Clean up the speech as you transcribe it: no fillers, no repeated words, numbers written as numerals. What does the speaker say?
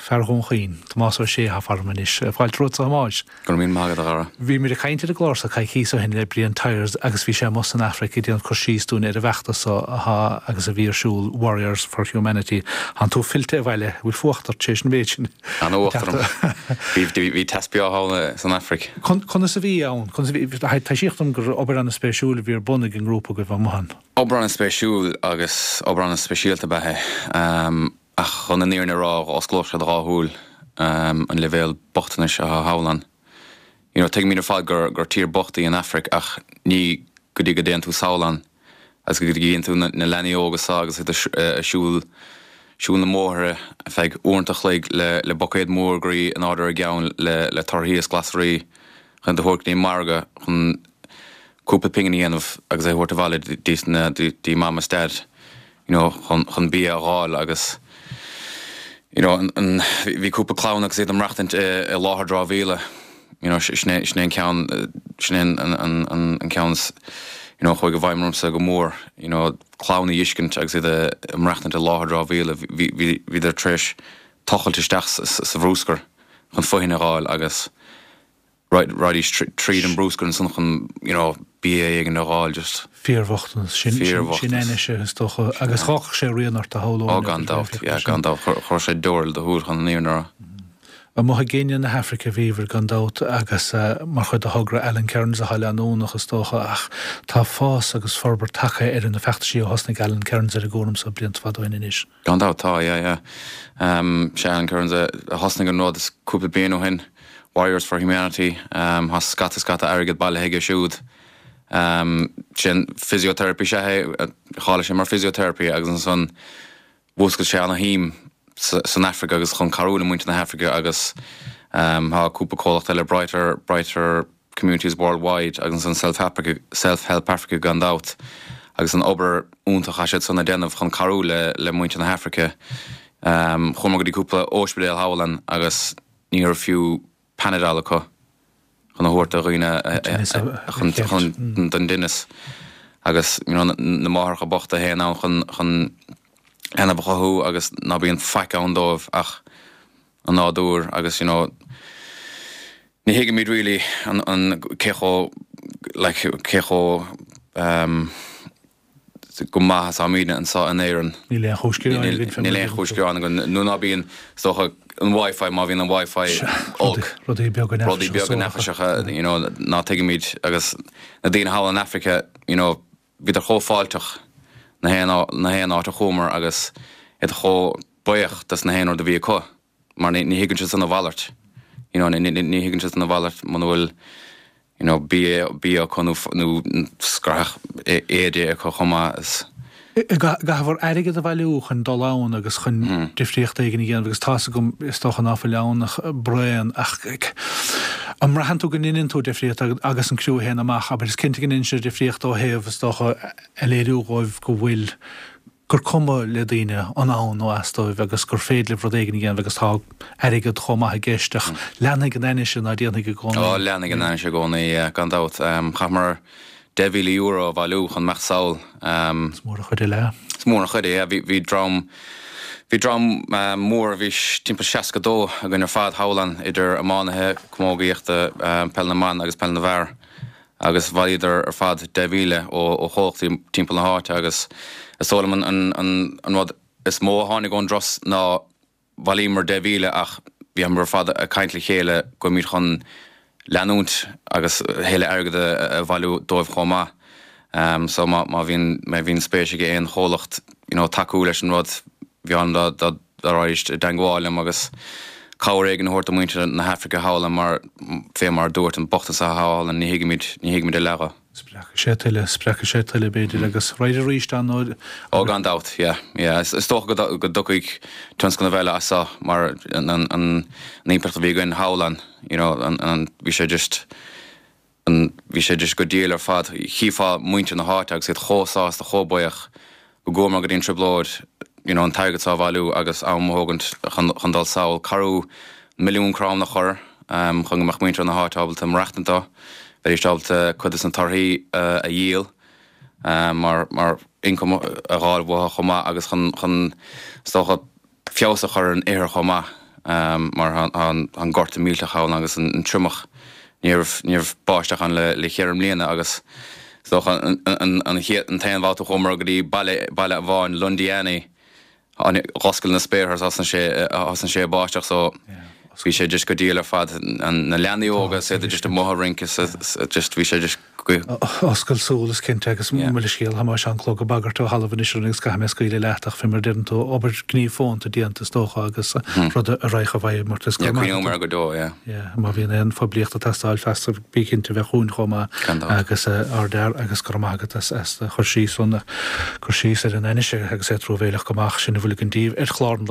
Fear Dhún Chaoin, Tomás Ó Sé atá faram anois. Fáilte romhat a Thomáis. Go raibh míle maith agat, a Dhara. Bhí muid ag caint ar an gclár seo coicíos ó shin le Brian Tyers agus bhí sé amuigh san Afraic ag déanamh cur síos dúinn ar an bhfeachtas so atá agus a bhí ar siúl, Warriors for Humanity. Tánn tú fillte abhaile. Bhfuil fuacht ort tar éis an mhéid sin? An-fhuacht orm. Bhí teas breá thall san Afraic. Conas a bhí ann? Conas a bhí? Taibhsíodh dom gur obair an-spéisiúil a bhí ar bun ag an ngrúpa agaibh amuigh ann. Obair an-spéisiúil agus obair an-speisialta ab ea é. Ach chun an fhírinne a rá, dh'osclódh sé do dhá shúil an leibhéal bochtanais atá thall ann. You know, tuigimid ar fad gur gur tír bocht í an Afraic ach ní go dtí go dtéann tú sall ann agus go dtí go gcíonn tú na leanaí óga so agus iad ag siúl siúl na mbóithre ar feadh uaireanta a chloig le le buicéad mór groí in airde ar a gceann le le torthaí is glasraí chun iad a thabhairt go dtí an margadh chun cúpla pingin a dhéanamh agus é a thabhairt abhaile dtí mam is dad you know chun chun bia a dh'fháil agus you know an an bhí cúpla clann agus iad ag maireachtaint i i láthair dramhaíola you know sin é sin é an ceann sin é an an an an ceann is you know chuaigh i bhfeidhm ormsa go mór you know clann a dh'fheiscint agus iad ag maireachtaint i láthair dramhaíola bhí bhí bhíodar tar éis tochailt isteach sa sa bhrúscar chun fothain a dh'fháil agus Raghaidís tríd an brúscar ansan chun, you know, bia éigin a dh'fháil just. Fíorbhochtanas. Sin, sin ainnise, is dócha. Agus dh'fhágfadh sé rian ort a shamhlóinn. Ó, gan dabht, yeah, gan dabht. Chuir sé deoir le do shúil chun an fhírinne a rá. Amuigh i gCéinia na hAfraice a bhíobhair gan dabht agus mar chuid de thogra Alan Kearns atá leanúnach is dócha ach tá fás agus forbairt tagtha ar na feachtaisí ó thosnaigh Alan Kearns ar an gcúram so blianta fada ó shin anois. Gan dabht, tá, yeah, yeah. Sé Alan Kearns a thosnaigh an rud is cúpla bliain ó shin, Warriors for Humanity, tá scata scata airgead bailithe aige siúd. Sin physiotherapy is ea é, cháiligh sé mar physiotherapy agus ansan mhúscail sé ana-shuim san Afraic agus chun cabhrú le muintir na hAfraice agus tá cúpla comhlacht eile, Brighter, Brighter, Communities Worldwide agus an Self Africa, Self Help Africa gan dabht, agus an obair iontach atá siad san a déanamh chun cabhrú le le muintir na hAfraice. Chuamar go dtí cúpla óispidéal thall ann agus ní raibh fiú Panadol acu chun a thabhairt do dhaoine chun chun don dtinneas agus you know na máithreacha bochta a théann ann chun chun leanbh a chothú agus ná bíonn faic ann dóibh ach an nádúr agus you know ní thuigimid really an an cé chomh like cé chomh ehm go maith is atáimidne anseo in Éirinn. Níl aon chúis gearáin againn fé Níl aon chúis gearáin againn nó ná bíonn is dócha an Wi-Fi má bhíonn an Wi-Fi olc. Rudaí beaga Rudaí beaga neafaiseacha you know ná tuigimid agus na daoine thall in Africa you know bhíodar chomh fáilteach na haon na haon áit a chuamar agus iad chomh buíoch dos na haon rud a bhí acu. mar ní thuigeann siad san a mhalairt, you know, ní thuigeann siad san a mhalairt muna bhfuil, you know, bia, bia acu nó, nó scraith éide acu chomh maith is. Caithfear airgead a bhailiú chun dul ann agus chun difríocht éigin a dhéanamh agus tá's agam, is dócha ná fuil ann ach braon ach an mbraitheann tú go ndeineann tú difríocht agus an criú a théann amach, abair, is cinnte go ndeineann sé difríocht ó thaobh, is dócha, a léiriú dhóibh go bhfuil gur cuma le daoine an ann nó as dóibh agus gur féidir libh rud éigin a dhéanamh agus tá airgead chomh maith i gceist ach leanfaidh an ainnise ná déanfaidh i gcónaí. Ó, leanfaidh an ainnise i gcónaí, yeah, gan dabht. Chaitheamar €10,000 a bhailiú chun imeacht sall. Is mór an chuid é leath. Is mór an chuid é, yeah. Bhí, bhí dream, bhí dream mór, bhí timpeall 62 againn ar fad thall ann, idir iománaithe, camógaíochta, peil na mban agus peil na bhfear. agus bhailíodar ar fad 10,000 ó chomhlachtaí timpeall na háite agus is dóigh liom an rud is mó a tháinig ón dturas ná bhailíomar 10,000 ach bhíomar ar fad ag caint le chéile go bhfuilimid chun leanúint agus a thuilleadh airgead a bhailiú dóibh chomh maith. So má bhíonn má bhíonn spéis ag aon chomhlacht you know tacú leis an rud bheinn dá dá dá raghaidís i dteangmháil liom agus cabhair éigin a thabhairt do mhuintir na hAfraice thall ann mar, fé mar a dúirt, an bochtanas atá thall ann, ní thuigimid, ní thuigimid a leath dho. Spreagfaidh sé tuilleadh, spreagfaidh sé tuilleadh, b'fhéidir, agus raghair arís ann nuair. Ó, gan dabht, yeah, yeah. Is dócha go go dtiocfaidh tionscnamh eile as seo mar an an an impleacht a bhí againn thall ann, you know, an an bhí sé just, an, bhí sé just go diail ar fad. Chífeá muintir na háite agus iad chomh sásta, chomh buíoch go gcuamar go dtí an trioblóid, you know, an t-airgead seo a bhailiú agus am a thógaint chun, chun dul sall, cabhrú milliún crann a chur chun go mbeadh muintir na háite ábalta maireachtaint dó, bheidís ábalta cuid des na torthaí a dhíol mar, mar income a dh'fháil uathu chomh maith agus chun, chun, is dócha, feabhas a chur ar an ithir chomh maith. mar tá an gorta millteach ann agus an triomach. Ní raibh, ní raibh báisteach ann le le cheithre mbliana agus is dócha an an chéad, an t-aon bhabhta a chuamar go dtí baile, baile amháin, Londiani, Dh'oscail na spéartha is thosnaigh sé, thosnaigh sé ag báisteach so bhí sé just go diail ar fad. Na leanaí óga is iad just amuigh ag rince is just bhí sé just go. Oscailt súl is cinnte agus mo leithscéal tá sé an clog ag bagairt ó thalamh anois orainn agus caithfidh mé scaoileadh leat ach fé mar a deireann tú obair gníomh fónta déanta is dócha agus rud a raghadh i bhfeidhm ort is go maith. Yeah, cuimhneoidh mé air go deo, yeah. Yeah, má bhíonn aon phoiblíocht ag teastáil feasta bí cinnte bheith chugainn chomh maith agus ardfhear agus go raibh maith agat as do chur síos an cur síos ar an ainnise agus é truamhéileach go maith sin a bhfuil againn daoibh ar chlár an lae.